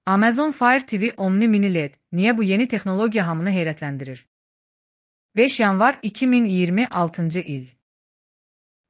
Amazon Fire TV Omni Mini LED. Niye bu yeni teknologiya hamını heyrətləndirir? 5 yanvar 2026 il.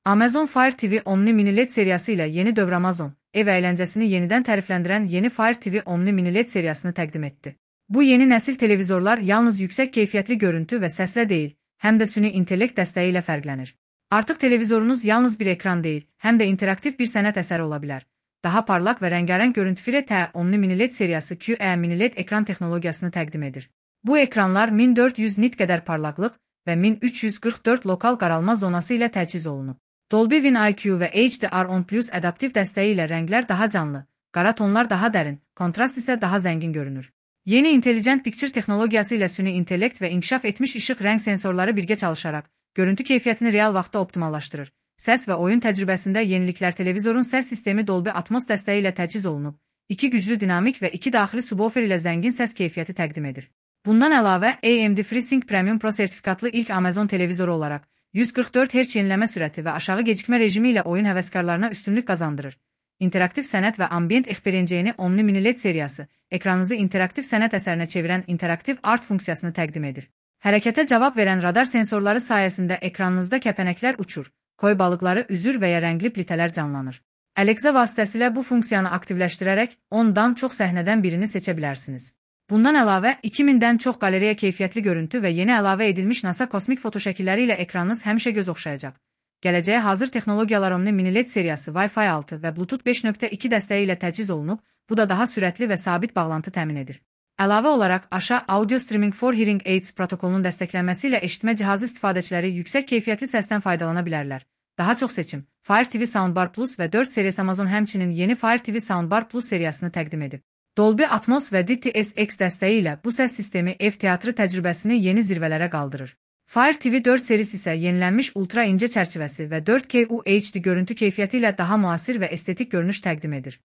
Amazon Fire TV Omni Mini LED seriyası ilə yeni dövr Amazon, ev əyləncəsini yenidən tərifləndirən yeni Fire TV Omni Mini LED seriyasını təqdim etdi. Bu yeni nəsil televizorlar yalnız yüksək keyfiyyətli görüntü və səslə deyil, həm də süni intellekt dəstəyi ilə fərqlənir. Artıq televizorunuz yalnız bir ekran deyil, həm də interaktiv bir sənət əsəri ola bilər. Daha parlaq və rəngarəng görüntü Fire Omni Mini LED seriyası QE Mini LED ekran texnologiyasını təqdim edir. Bu ekranlar 1400 nit qədər parlaqlıq və 1344 lokal qaralma zonası ilə təchiz olunub. Dolby Win IQ və HDR10+ adaptiv dəstəyi ilə rənglər daha canlı, qara tonlar daha dərin, kontrast isə daha zəngin görünür. Yeni Intelligent Picture texnologiyası ilə süni intellekt və inkişaf etmiş işıq rəng sensorları birgə çalışaraq, görüntü keyfiyyətini real vaxtda optimallaşdırır. Səs və oyun təcrübəsində yeniliklər televizorun səs sistemi Dolby Atmos dəstəyi ilə təchiz olunub, 2 güclü dinamik və 2 daxili subwoofer ilə zəngin səs keyfiyyəti təqdim edir. Bundan əlavə, AMD FreeSync Premium Pro sertifikatlı ilk Amazon televizoru olaraq, 144 Hz yenilənmə sürəti və aşağı gecikmə rejimi ilə oyun həvəskarlarına üstünlük qazandırır. İnteraktiv sənət və ambient experienceni Omni Mini LED seriyası, ekranınızı interaktiv sənət əsərinə çevirən interaktiv art funksiyasını təqdim edir. Hərəkətə cavab verən radar sensorları sayəsində ekranınızda kəpənəklər uçur, koy balıqları üzür və ya rəngli plitələr canlanır. Alexa vasitəsilə bu funksiyanı aktivləşdirərək 10-dan çox səhnədən birini seçə bilərsiniz. Bundan əlavə, 2000-dən çox qalereya keyfiyyətli görüntü və yeni əlavə edilmiş NASA kosmik foto şəkilləri ilə ekranınız həmişə göz oxşayacaq. Gələcəyə hazır texnologiyalar Omni Mini LED seriyası Wi-Fi 6 və Bluetooth 5.2 dəstəyi ilə təchiz olunub, bu da daha sürətli və sabit bağlantı təmin edir. Əlavə olaraq, aşağı Audio Streaming for Hearing Aids protokolunun dəstəklənməsi ilə eşitmə cihazı istifadəçiləri yüksək keyfiyyətli səsdən faydalana bilərlər. Daha çox seçim, Fire TV Soundbar Plus və 4 seriyası Amazon həmçinin yeni Fire TV Soundbar Plus seriyasını təqdim edib. Dolby Atmos və DTS:X dəstəyi ilə bu səs sistemi ev teatrı təcrübəsini yeni zirvələrə qaldırır. Fire TV 4 serisi isə yenilənmiş ultra incə çərçivəsi və 4K UHD görüntü keyfiyyəti ilə daha müasir və estetik görünüş təqdim edir.